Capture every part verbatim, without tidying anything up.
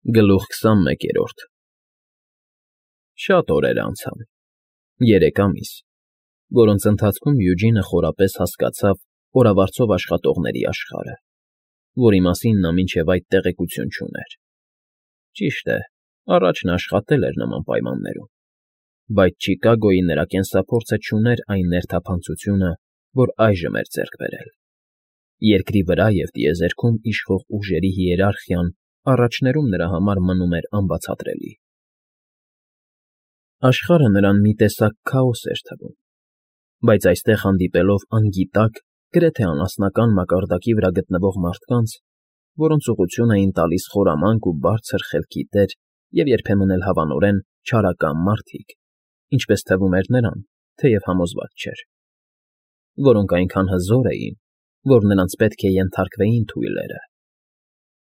Գլուխ քսանմեկերորդ Շատ օրեր անցան, երեք ամիս, որոնց ընթացքում Յուջինը խորապես հասկացավ օրավարձով աշխատողների աշխարհը, որի մասին նա մինչև այդ տեղեկություն չուներ. ճիշտ է, առաջ նա աշխատել էր նման պայմաններում, բայց Չիկագոյի նրա կենսափորձը չուներ այն ներթափանցությունը, որ այժմ էր ձեռք բերել. երկրի վրա և տիեզերքում իշխող ուժերի հիերարխիան առաջներում նրա համար մնում էր անբացատրելի։ Աշխարհը նրան մի տեսակ քաոս էր թվում, բայց այստեղ հանդիպելով անգիտակ, գրեթե անասնական մակարդակի վրա գտնվող մարդկանց, որոնց ուղղություն էին տալիս խորամանկ ու բարձր խելքի տեր և երբեմն էլ հավանորեն չարակամ մարդիկ, ինչպես թվում էր նրան, թեև համոզված չէր, որոնք այնքան հզոր էին, որ նրանց պետք է ենթարկվեին թույլերը,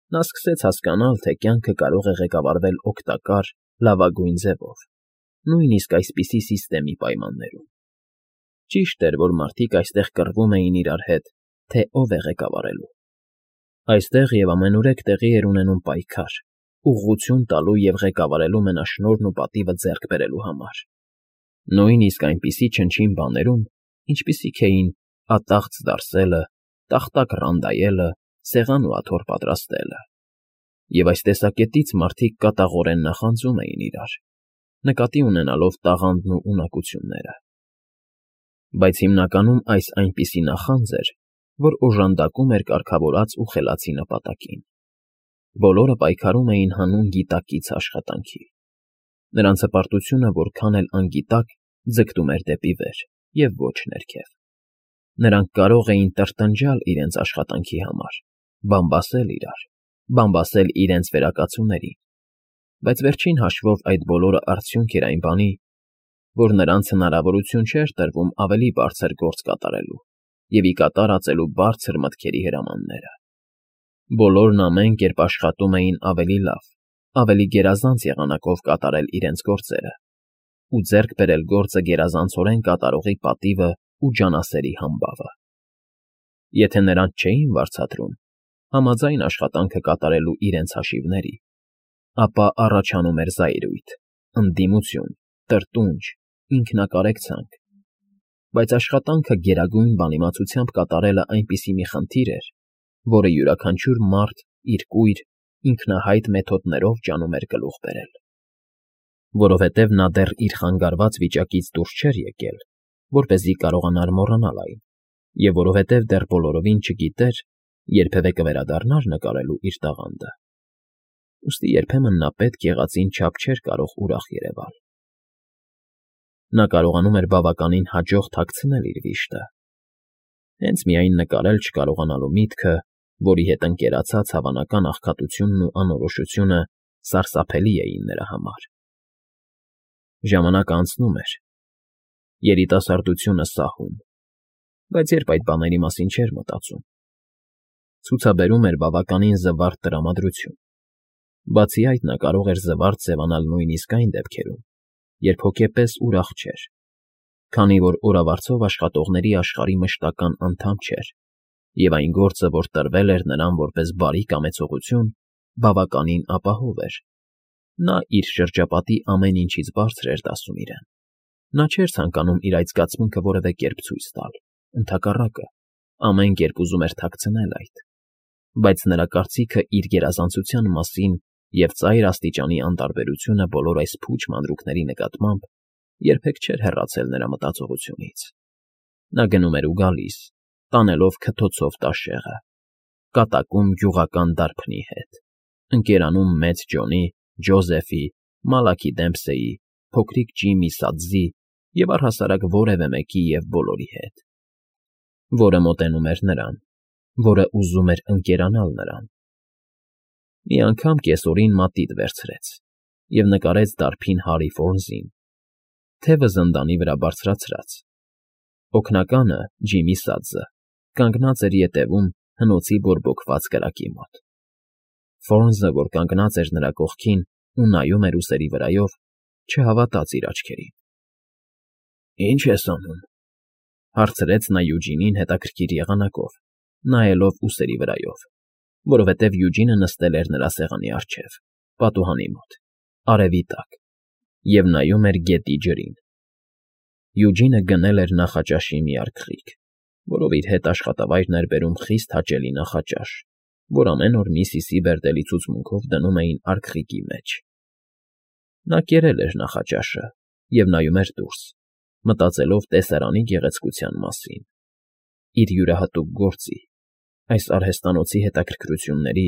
նա սկսեց հասկանալ, թե կյանքը կարող է ղեկավարվել օգտակար, լավագույն ձևով, նույնիսկ այսպիսի սիստեմի պայմաններում։ Ճիշտ էր, որ մարդիկ այստեղ կռվում էին իրար հետ, թե ով է ղեկավարելու։ Այստեղ և ամենուրեք տեղի էր ունենում պայքար, ուղղություն տալու և ղեկավարելու մենաշնորհն ու պատիվը ձեռք բերելու համար։ Նույնիսկ այնպիսի չնչին բաներում, ինչպիսիք էին ատաղձ դարսելը, տախտակ ռանդայելը, սեղան ու աթոռ պատրաստելը։ Եվ այս տեսակետից մարդիկ կատաղորեն նախանձում էին իրար, նկատի ունենալով տաղանդն ու ունակությունները։ Բայց հիմնականում այս այնպիսի նախանձ էր, որ օժանդակում էր կարգավորած ու խելացի նպատակին։ Բոլորը պայքարում էին հանուն գիտակից աշխատանքի։ Նրանց հպարտությունը որքան էլ անգիտակ ձգտում էր դեպի վեր և ոչ ներքև։ Նրանք կարող էին տրտնջալ իրենց աշխատանքի համար, բամբասել իրար, բամբասել իրենց վերակացուներին, բայց վերջին հաշվով այդ բոլորը արդյունք էր այն բանի, որ նրանց հնարավորություն չէր տրվում ավելի բարձր գործ կատարելու և ի կատար ածելու բարձր մտքերի հրամանները։ Բոլորն ամեն կերպ աշխատում էին ավելի լավ, ավելի գերազանց եղանակով կատարել իրենց գործերը ու ձեռք բերել գործը գերազանցորեն կատարողի պատիվը ու ջանասերի համբավը։ Եթե նրանց չէին վարձատրում, համաձայն աշխատանքը կատարելու իրենց հաշիվների, ապա առաջանում էր զայրույթ, ընդդիմություն, տրտունջ, ինքնակարեկցանք, բայց աշխատանքը գերագույն բանիմացությամբ կատարելը այնպիսի մի խնդիր էր, որը յուրաքանչյուր մարդ իր կույր, ինքնահայտ մեթոդներով ջանում էր գլուխ բերել։ Որովհետև նա դեռ իր խանգարված վիճակից դուրս չէր եկել, որպեսզի կարողանար մոռանալ այն, և որովհետև դեռ բոլորովին չգիտեր, երբևէ կվերադառնար նկարելու իր տաղանդը, ուստի երբեմն նա պետք եղածին չափ չէր կարող ուրախ երևալ։ Նա կարողանում էր բավականին հաջող թաքցնել իր վիշտը, հենց միայն նկարել չկարողանալու միտքը, որի հետ ընկերացած հավանական աղքատությունն ու անորոշությունը սարսափելի էին նրա համար։ Ժամանակը անցնում էր, երիտասարդությունը սահում, բայց երբ այդ բաների մասին չէր մտածում, ցուցաբերում էր բավականին զվարթ տրամադրություն։ Բացի այդ, նա կարող էր զվարթ ձևանալ նույնիսկ այն դեպքերում, երբ հոգեպես ուրախ չէր, քանի որ օրավարձով աշխատողների աշխարհի մշտական անդամ չէր, և այն գործը, որ տրվել էր նրան որպես բարի կամեցողություն, բավականին ապահով էր։ Նա իր շրջապատի ամեն ինչից բարձր էր դասում իրեն։ Նա չէր ցանկանում իր այդ զգացմունքը որևէ կերպ ցույց տալ, ընդհակառակը, ամեն կերպ ուզում էր թաքցնել այդ, բայց նրա կարծիքը իր գերազանցության մասին և ծայր աստիճանի անտարբերությունը բոլոր այս փուչ մանրուքների նկատմամբ երբեք չէր հեռացել նրա մտածողությունից։ Նա գնում էր ու գալիս, տանելով քթոցով տաշեղը, կատակում գյուղական դարբնի հետ, ընկերանում մեծ Ջոնի, Ջոզեֆի, Մալաքի Դեմփսեի, փոքրիկ Ջիմի Սադզի և առհասարակ որևէ մեկի և բոլորի հետ, որը մոտենում էր նրան, որը ուզում էր ընկերանալ նրան։ Մի անգամ կեսօրին մատիտ վերցրեց և նկարեց դարբին Հարի Ֆորնզին, թևը զնդանի վրա բարձրացրած։ Օգնականը՝ Ջիմի Սադզը, կանգնած էր ետևում հնոցի բորբոքված կրակի մոտ։ Ֆորնզը, որ կանգնած էր նրա կողքին ու նայում էր ուսերի վրայով, չհավատաց իր աչքերին։ ֊ Ի՞նչ ես անում,֊ հարցրեց նա Յուջինին հետաքրքիր եղանակով, նայելով ուսերի վրայով, որովհետև Յուջինը նստել էր նրա սեղանի առջև, պատուհանի մոտ, արևի տակ, և նայում էր գետի ջրին։ Յուջինը գնել էր նախաճաշի մի արկղիկ, որով իր հետ աշխատավայրն էր բերում խիստ հաճելի նախաճաշ, որ ամեն օր Միսիսի Բերդելի ցուցմունքով դնում էին արկղիկի մեջ։ Նա կերել էր նախաճաշը և նայում էր դուրս, մտածելով տեսարանի գեղեցկության մասին, իր յուրահատուկ գործի, այս արհեստանոցի հետաքրքրությունների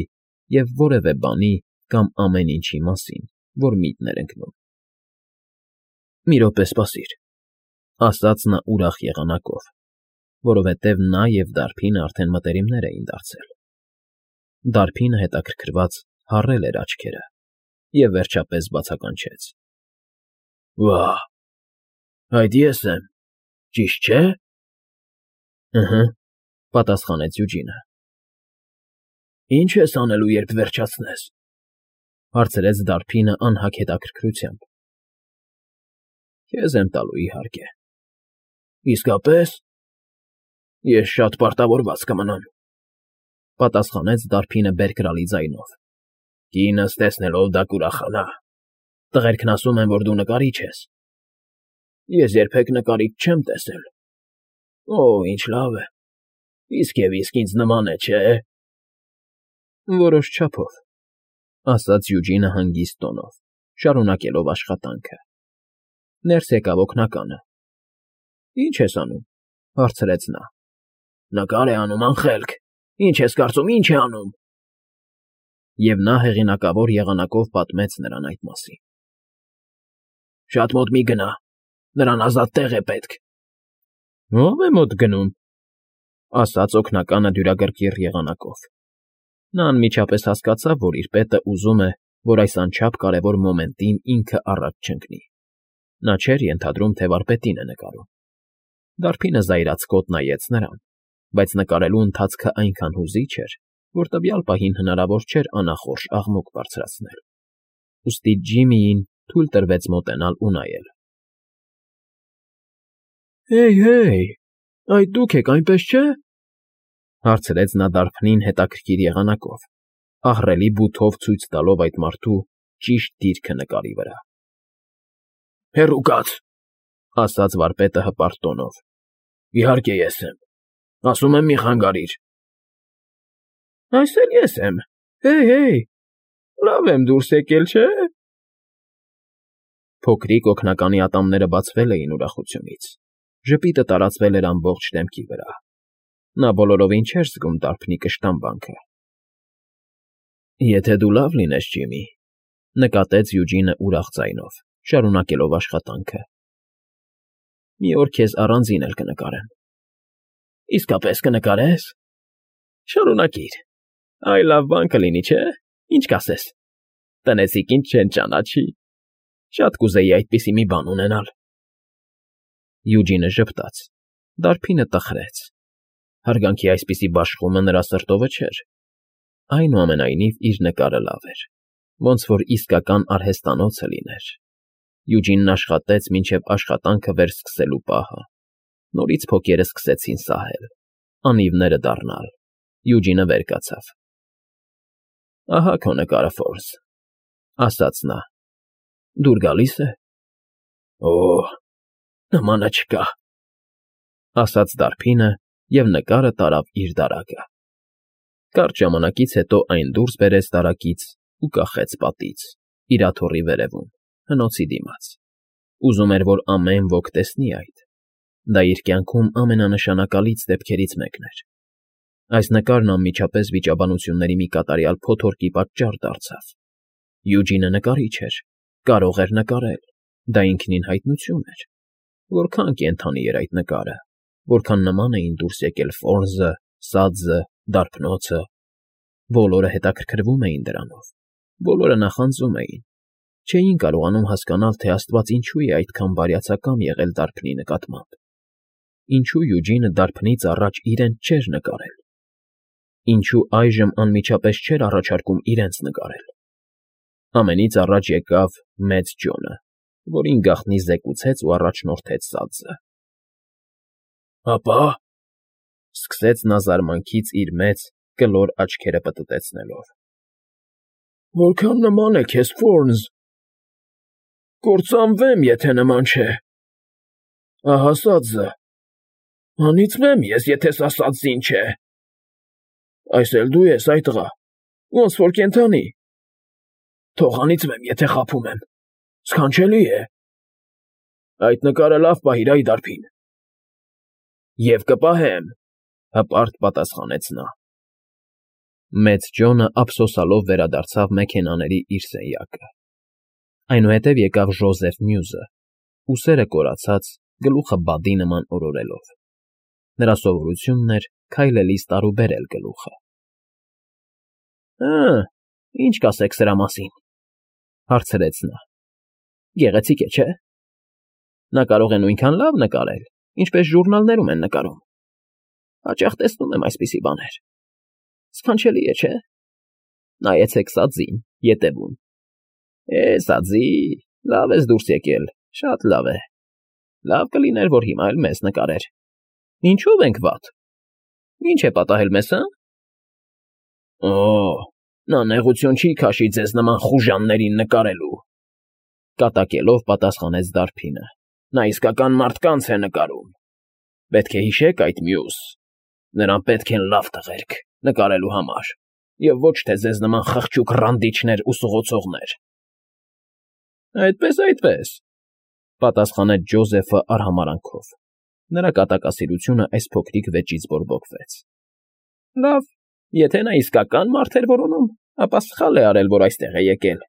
և որևէ բանի կամ ամեն ինչի մասին, որ միտն էր ընկնում։ ֊ Մի րոպե սպասիր, ֊ ասաց նա ուրախ եղանակով, որովհետև նա և դարբինը արդեն մտերիմներ էին դարձել։ Դարբինը հետաքրքրված հառել էր աչքերը և, վերջապես, բացականչեց. ֊ Վա՜, այդ ես եմ, ճիշտ չէ՞։ ֊ Ըհը, ֊ պատասխանեց Յուջինը։ ֊ Ի՞նչ ես անելու, երբ վերջացնես, ֊ հարցրեց դարբինը անհագ հետաքրքրությամբ։ ֊ Քեզ եմ տալու, իհարկե։ ֊ Իսկապե՞ս։ ֊ Ես շատ պարտավորված կմնամ, ֊ պատասխանեց դարբինը բերկրալի ձայնով։ ֊ Կինս տեսնելով դա կուրախանա։ Տղերքն ասում են, որ դու նկարիչ ես։ ֊ Ես երբեք նկարիչ չեմ տեսել։ ֊ Օ, ինչ լավ է, իսկ և իսկ ինձ նման է, չէ՞։ ֊ Որոշ չափով, ֊ ասաց Յուջինը հանգիստ տոնով, շարունակելով աշխատանքը։ Ներս եկավ օգնականը։ ֊ Ի՞նչ ես անում, ֊ հարցրեց նա։ ֊ Նկար է անում, անխելք, ինչ ես կարծում, ի՞նչ է անում։ Եվ նա հեղինակավոր եղանակով պատմեց նրան այդ մասին։ ֊ Շատ մոտ մի գնա, նրան ազատ տեղ է պետք։ ֊ Ո՞վ է մոտ գնում, ֊ ասաց օգնականը դյուրագրգիռ եղանակով։ Նա անմիջապես հասկացավ, որ իր պետը ուզում է, որ այս անչափ կարևոր մոմենտին ինքը առաջ չընկնի։ Նա չէր ենթադրում, թե վարպետին է նկարում։ Դարբինը զայրացկոտ նայեց նրան, բայց նկարելու ընթացքը այնքան հուզիչ էր, որ տվյալ պահին հնարավոր չէր անախորժ աղմուկ բարձրացնել, ուստի Ջիմիին թույլ տրվեց մոտենալ ու նայել։ ֊ Հեյ, հեյ, այդ դուք եք, այնպես չէ՞, ֊ հարցրեց նա դարբնին հետաքրքիր եղանակով, ահռելի բութով ցույց տալով այդ մարդու ճիշտ դիրքը նկարի վրա։ ֊ Հեռու կաց, ֊ ասաց վարպետը հպարտ տոնով։ ֊ Իհարկե ես եմ, ասում եմ մի խանգարիր։ ֊ Այս էլ ես եմ, հեյ, հեյ, լավ եմ դուրս եկել, չէ՞։ Փոքրիկ օգնականի ատամները բացվել էին ուրախությունից, ժպիտը տարածվել էր ամբողջ դեմքի վրա։ Նա բոլորովին չէր զգում դարբնի կշտամբանքը։ ֊ Եթե դու լավ լինես, Ջիմի, ֊ նկատեց Յուջինը ուրախ ձայնով, շարունակելով աշխատանքը, ֊ մի օր քեզ առանձին էլ կնկարեմ։ ֊ Իսկապես կնկարե՞ս։ ֊ Շարունակիր, այ լավ բան կլինի, չէ՞, ինչ կասես։ Տնեցիքին չեն ճանաչի։ Շատ կուզեի այդպիսի մի բան ունենալ։ Յուջինը ժպտաց, դարբինը տխրեց։ Հարգանքի այսպիսի բաշխումը նրա սրտովը չէր։ Այնուամենայնիվ իր նկարը լավ էր, ոնց որ իսկական արհեստանոցը լիներ։ Յուջինն աշխատեց մինչև աշխատանքը վերսկսելու պահը։ Նորից փոքերը սկսեցին սահել, անիվները դառնալ։ Յուջինը վեր կացավ։ ֊ Ահա քո նկարը, Ֆորս, ֊ ասաց նա։ ֊ Դուր գալի՞ս է։ ֊ Օ, նմանը չկա, ֊ ասաց դարբինը և նկարը տարավ իր դարակը։ Կարճ ժամանակից հետո այն դուրս բերեց դարակից ու կախեց պատից, իր աթոռի վերևում, հնոցի դիմաց։ Ուզում էր, որ ամեն ոք տեսնի այդ։ Դա իր կյանքում ամենանշանակալից դեպքերից մեկն էր։ Այս նկարն անմիջապես վիճաբանությունների մի կատարյալ փոթորկի պատճառ դարձավ։ Յուջինը նկարիչ էր, կարող էր նկարել, դա ինքնին հայտնություն էր։ Որքան կենդանի էր այդ նկարը, որքան նման էին դուրս եկել Ֆորզը, Սաձը, դարբնոցը։ Բոլորը հետաքրքրվում էին դրանով, բոլորը նախանձում էին, չէին կարողանում հասկանալ, թե աստված ինչու է այդքան բարյացակամ եղել դարբնի նկատմամբ։ Ինչու Յուջինը դարբնից առաջ իրեն չէր նկարել։ Ինչու այժմ անմիջապես չէր առաջարկում իրենց նկարել։ Ամենից առաջ եկավ մեծ Ջոնը, որին գաղտնի զեկուցեց ու առաջնորդեց Սաձը։ ֊ Հապա, ֊ սկսեց նա զարմանքից իր մեծ, կլոր աչքերը պտտեցնելով։ ֊ Որքան նման է քեզ, Ֆորնզ, կործանվեմ, եթե նման չէ, ահա սածը, անիծվեմ ես, եթե սա սածին չէ, այս էլ դու ես, այ տղա, ոնց որ կենդանի, թող անիծվեմ, եթե խաբում եմ, սքանչելի է, այդ նկարը լավ պահիր այ դարբին, և կպահեմ, հպարտ պատասխանեց նա։ Մեծ Ջոնը ափսոսալով վերադարձավ մեքենաների իր սենյակը։ Այնուհետև եկավ Ժոզեֆ Մյուզը, ուսերը կորացած, գլուխը բադի նման օրորելով։ Նրա սովորությունն էր քայլելիս տարուբերել գլուխը։ Հը, ինչ կասեք սրա մասին, հարցրեց նա։ Գեղեցիկ է, չէ՞։ Նա կարող է նույնքան լավ նկարել, ինչպես ժուրնալներում են նկարում։ Հաճախ տեսնում եմ այսպիսի բաներ։ Սքանչելի է, չէ՞։ Նայեցեք սածին, ետևում։ Է, սածի, լավ ես դուրս եկել, շատ լավ է։ Լավ կլիներ, որ հիմա էլ մեզ նկարեր։ Ինչո՞վ ենք վատ։ Ինչ է պատահել մեզ, հը։ Օ, նա նեղություն չի քաշի ձեզ նման խուժաններին նկարելու, կատակելով պատասխանեց դարբինը։ Նա իսկական մարդկանց է նկարում։ Պետք է հիշեք այդ Մյուզ։ Նրան պետք են լավ տղերք նկարելու համար, և ոչ թե ձեզ նման խղճուկ ռանդիչներ ու սղոցողներ։ Այդպես, այդպես, պատասխանեց Ջոզեֆը արհամարհանքով։ Նրա կատակասիրությունը այս փոքրիկ վեճից բորբոքվեց։ Լավ, եթե նա իսկական մարդ էր որոնում, ապա սխալ է արել, որ այստեղ է եկել։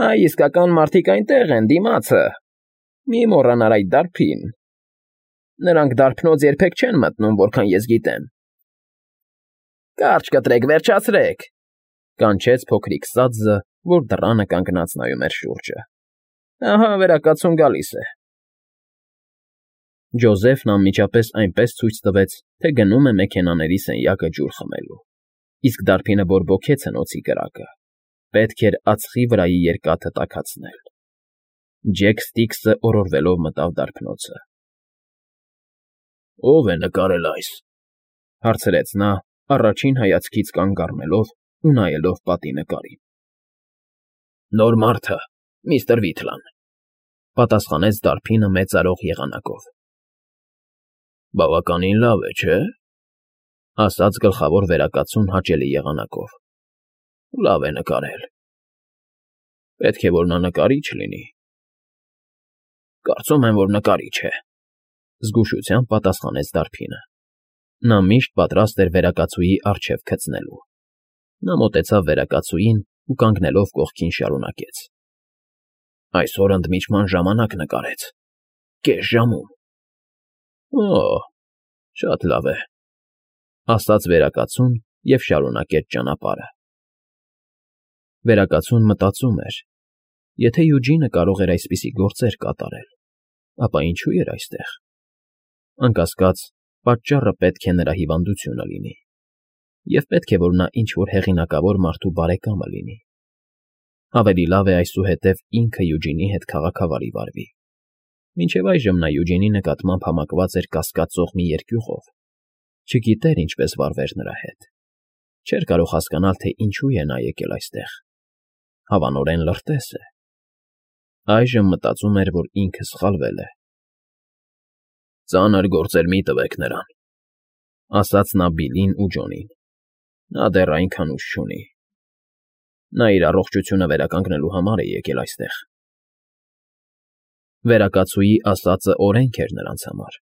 Այ իսկական մարդիկ այնտեղ են, դիմացը։ Մի մոռանար այդ դարբին։ Նրանք դարբնոց երբեք չեն մտնում, որքան ես գիտեմ։ Կարճ կտրեք, վերջացրեք, կանչեց փոքրիկ սածը, որ դռանը կանգնած նայում էր շուրջը։ Ահա վերակացուն գալիս է։ Ջոզեֆն անմիջապես այնպես ցույց տվեց, թե գնում է մեքենաների սենյակը ջուր խմելու, իսկ դարբինը բորբոքեց հնոցի կրակը։ Պետք էր ածխի վրայի երկաթը տաքացնել։ Ջեք Սթիքսը օրորվելով մտավ դարբնոցը։ Ո՞վ է նկարել այս, հարցրեց նա, առաջին հայացքից կանգ առնելով ու նայելով պատի նկարին։ Նոր մարդը, միստր Վիթլան, պատասխանեց դարբինը մեծարող եղանակով։ Բավականին լավ է, չէ՞, ասաց գլխավոր վերակացուն հաճելի եղանակով։ Լավ է նկարել։ Պետք է, որ նա նկարիչ լինի։ Կարծում եմ, որ նկարիչ է, զգուշությամբ պատասխանեց դարբինը։ Նա միշտ պատրաստ էր վերակացուի առջև քծնելու։ Նա մոտեցավ վերակացուին ու կանգնելով կողքին շարունակեց. Այսօր ընդմիջման ժամանակ նկարեց։ Կես ժամում։ Օ, շատ լավ է, ասաց վերակացուն և շարունակեց ճանապարհը։ Վերակացուն մտածում էր. եթե Յուջինը կարող էր այսպիսի գործեր կատարել, ապա ինչու էր այստեղ։ Անկասկած, պատճառը պետք է նրա հիվանդությունը լինի, և պետք է, որ նա ինչ-որ հեղինակավոր մարդու բարեկամը լինի։ Ավելի լավ է այսուհետև ինքը Յուջինի հետ քաղաքավարի վարվի։ Մինչև այժմ նա Յուջինի նկատմամբ համակված էր կասկածող մի երկյուղով, չգիտեր ինչպես վարվեր նրա հետ, չէր կարող հասկանալ, թե ինչու է նա եկել այստեղ, հավանորեն լրտես է։ Այժմ մտածում էր, որ ինքը սխալվել է։ Ծանր գործեր մի տվեք նրան, ասաց նա Բիլլին ու Ջոնին։ Նա դեռ այնքան ուժ չունի։ Նա իր առողջությունը վերականգնելու համար է եկել այստեղ։ Վերակացուի ասածը օրենք էր նրանց համար,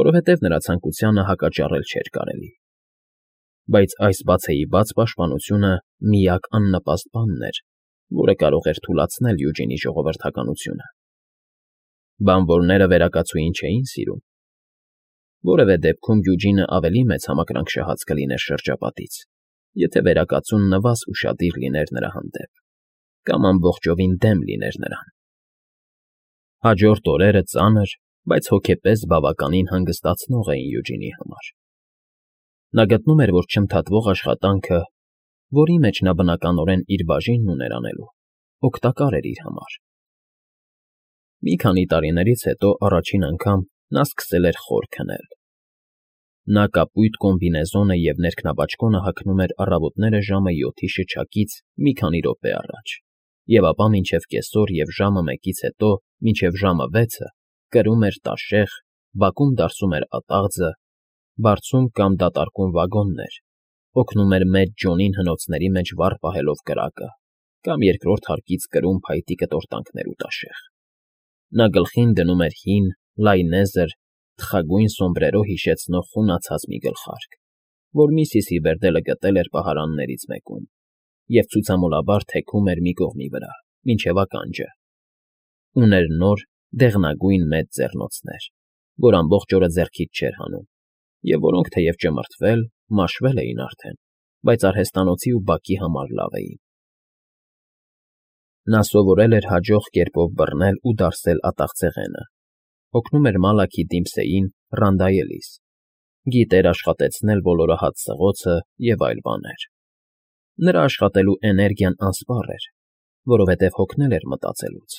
որովհետև նրա ցանկությանը հակաճառել չէր կարելի։ Բայց այս բացեիբաց պաշտպանությունը միակ աննպաստ բանն էր, որը կարող էր թուլացնել Յուջինի ժողովրդականությունը։ Բանվորները վերակացուին չէին սիրում։ Որևէ դեպքում Յուջինը ավելի մեծ համակրանքշահած կլիներ շրջապատից, եթե վերակացուն նվազ ուշադիր լիներ նրա հանդեպ, կամ ամբողջովին դեմ լիներ նրան։ Հաջորդ օրերը ծանր, բայց հոգեպես բավականին հանգստացնող էին Յուջինի համար։ Նա գտնում էր, որ չընդհատվող աշխատանքը, որի մեջ նա բնականորեն իր բաժինն ուներ անելու, օգտակար էր իր համար։ Մի քանի տարիներից հետո առաջին անգամ նա սկսել էր խոր քնել։ Նա կապույտ կոմբինեզոնը և ներքնաբաճկոնը հագնում էր առավոտները ժամը յոթի շչակից մի քանի րոպե առաջ, և ապա մինչև կեսօր և ժամը մեկից հետո մինչև ժամը վեցը կրում էր տաշեղ, բակում դարսում էր ատաղձը, բարձում կամ դատարկում վագոններ, օգնում էր մեծ Ջոնին հնոցների մեջ վառ պահելով կրակը կամ երկրորդ հարկից կրում փայտի կտորտանքներ ու տաշեղ։ Նա գլխին դնում էր հին, լայնեզր, թխագույն սոմբրերո հիշեցնող խունացած մի գլխարկ, որ միսիսի Բերդելը գտել էր պահարաններից մեկում, և ցուցամոլաբար թեքում էր մի կողմի վրա, մինչև ականջը։ Ուներ նոր, դեղնագույն մեծ ձեռնոցներ, որ ամբողջ օրը ձեռքից չէր հանում, և որոնք թեև ճմրթվել, մաշվել էին արդեն, բայց արհեստանոցի ու բակի համար լավ էին։ Նա սովորել էր հաջող կերպով բռնել ու դարսել ատաղձեղենը, օգնում էր Մալաքի Դիմսեյին ռանդայելիս, գիտեր աշխատեցնել ոլորահաց սղոցը և այլ բաներ։ Նրա աշխատելու էներգիան անսպառ էր, որովհետև հոգնել էր մտածելուց,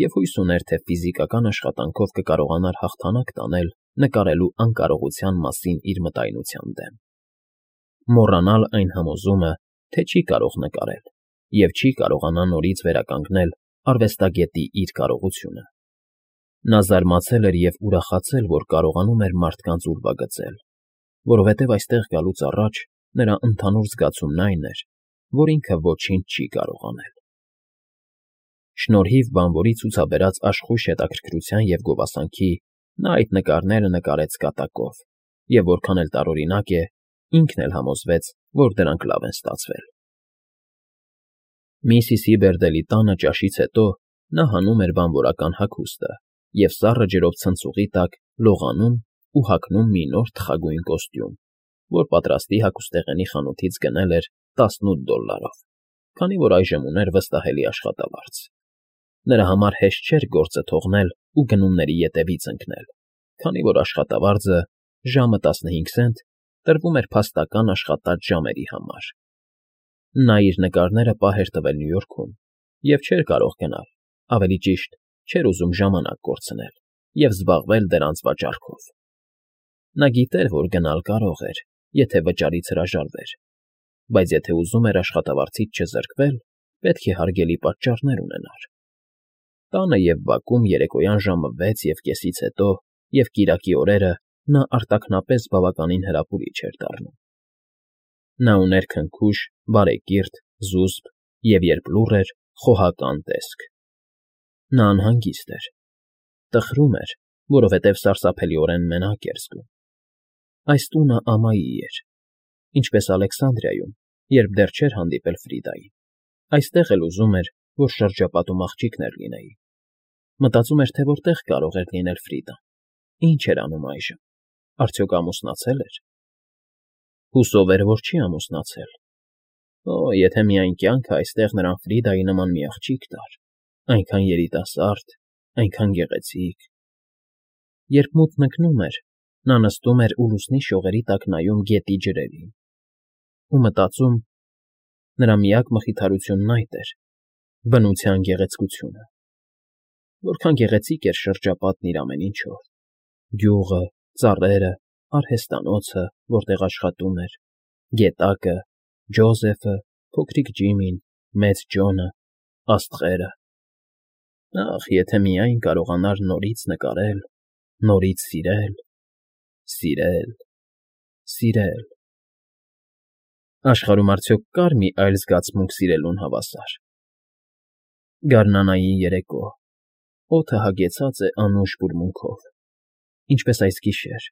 և հույս ուներ, թե ֆիզիկական աշխատանքով կկարողանար հաղթանակ տանել նկարելու անկարողության մասին իր մտայնության դեմ, մոռանալ այն համոզումը, թե չի կարող նկարել և չի կարողանա նորից վերականգնել արվեստագետի իր կարողությունը։ Նա զարմացել էր և ուրախացել, որ կարողանում էր մարդկանց ուրվագծել, որովհետև այստեղ գալուց առաջ նրա ընդհանուր զգացումն այն էր, որ ինքը ոչինչ չի կարող անել։ Շնորհիվ բանվորի ցուցաբերած աշխույժ հետաքրքրության և գովասանքի նա այդ նկարները նկարեց կատակով, և որքան էլ տարօրինակ է, ինքն էլ համոզվեց, որ դրանք լավ են ստացվել։ Միսիսի Բերդելի տանը ճաշից հետո նա հանում էր բանվորական հագուստը և սառը ջրով ցնցուղի տակ լողանում ու հագնում մի նոր թխագույն կոստյում, որ պատրաստի հագուստեղենի խանութից գնել էր տասնութ դոլլարով, քանի որ այժմ ուներ վստահելի աշխատավարձ։ Նրա համար հեշտ չէր գործը թողնել ու գնումների ետևից ընկնել, քանի որ աշխատավարձը, ժամը տասնհինգ սենտ, տրվում էր փաստական աշխատած ժամերի համար։ Նա իր նկարները պահ էր տվել Նյու Յորքում և չէր կարող գնալ, ավելի ճիշտ, չէր ուզում ժամանակ կորցնել և զբաղվել դրանց վաճառքով։ Նա գիտեր, որ գնալ կարող էր, եթե վճարից հրաժարվեր, բայց եթե ուզում էր աշխատավարձից չզրկվել, պետք է հարգելի պատճառներ ունենար։ Տանը և բակում երեկոյան ժամը վեց և կեսից հետո և կիրակի օրերը նա արտաքնապես բավականին հրապուրիչ էր դառնում։ Նա ուներ քնքուշ, բարեկիրթ, զուսպ և, երբ լուռ էր, խոհական տեսք։ Նա անհանգիստ էր, տխրում էր, որովհետև սարսափելիորեն մենակ էր զգում։ Այս տունը ամայի էր, ինչպես Ալեքսանդրիայում, երբ դեռ չէր հանդիպել Ֆրիդային, այստեղ էլ ուզում էր, որ շրջապատում աղջիկներ լինեին։ Մտածում էր, թե որտեղ կարող էր լինել Ֆրիդան, ինչ էր անում այժմ, արդյոք ամուսնացել էր։ Հուսով էր, որ չի ամուսնացել։ Օ, եթե միայն կյանքը այստեղ նրան Ֆրիդայի նման մի աղջիկ տար, այնքան երիտասարդ, այնքան գեղեցիկ։ Երբ մութն ընկնում էր, նա նստում էր ու լուսնի շողերի տակ նայում գետի ջրերին ու մտածում. նրա միակ մխիթարությունն այդ էր՝ բնության գեղեցկությունը։ Որքան գեղեցիկ էր շրջապատն իր ամեն ինչով՝ գյուղը, ծառերը, արհեստանոցը, որտեղ աշխատում էր, գետակը, Ջոզեֆը, փոքրիկ Ջիմին, մեծ Ջոնը, աստղերը։ Ախ, եթե միայն կարողանար նորից նկարել, նորից սիրել, սիրել, սիրել… Աշխարհում արդյոք կա՞ր մի այլ զգացմունք սիրելուն հավասար։ Գարնանային երեկո, օդը հագեցած է անուշ բուրմունքով, ինչպես այս գիշեր,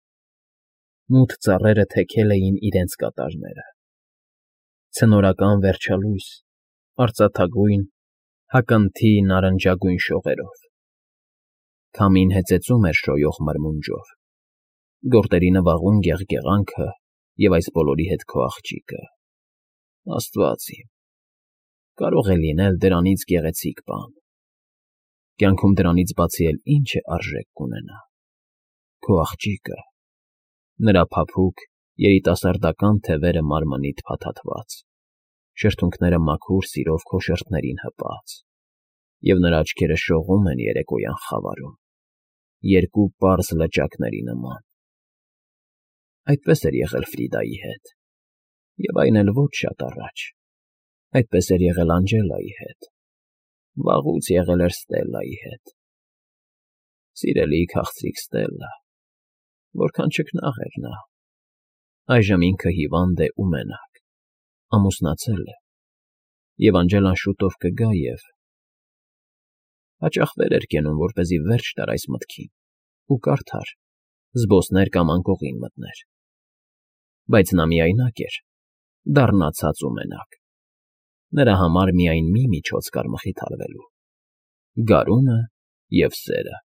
մութ ծառերը թեքել էին իրենց կատարները, ցնորական վերջալույս, արծաթագույն, հակընթի նարնջագույն շողերով։ Քամին հեծեծում էր շոյող մրմունջով, գորտերի նվաղում գեղգեղանքը և այս բոլորի հետ քո աղջիկը… Աստված իմ… կարող է լինել դրանից գեղեցիկ բան… Կյանքում դրանից բացի էլ ինչ է արժեք կունենա… Քո աղջիկը… նրա փափուկ, երիտասարդական թևերը մարմնիդ փաթաթված, շրթունքները մաքուր սիրով քո շրթերին հպած, և նրա աչքերը շողում են երեկոյան խավարում, երկու պարզ լճակների նման։ Այդպես էր եղել Ֆրիդայի հետ, և այն էլ ոչ շատ առաջ, այդպես էր եղել Անջելայի հետ, վաղուց եղել էր Ստելլայի հետ… Սիրելի քաղցրիկ Ստելլա, որքան չքնաղ էր նա… Այժմ ինքը հիվանդ է ու մենակ, ամուսնացել է, և Անջելան շուտով կգա և… Հաճախ վեր էր կենում, որպեսզի վերջ տար այս մտքին ու կարդար, զբոսներ կամ անկողին մտներ… Բայց նա միայնակ էր, դառնացած ու մենակ… Նրա համար միայն մի միջոց կար մխիթարվելու՝ գարունը և սերը։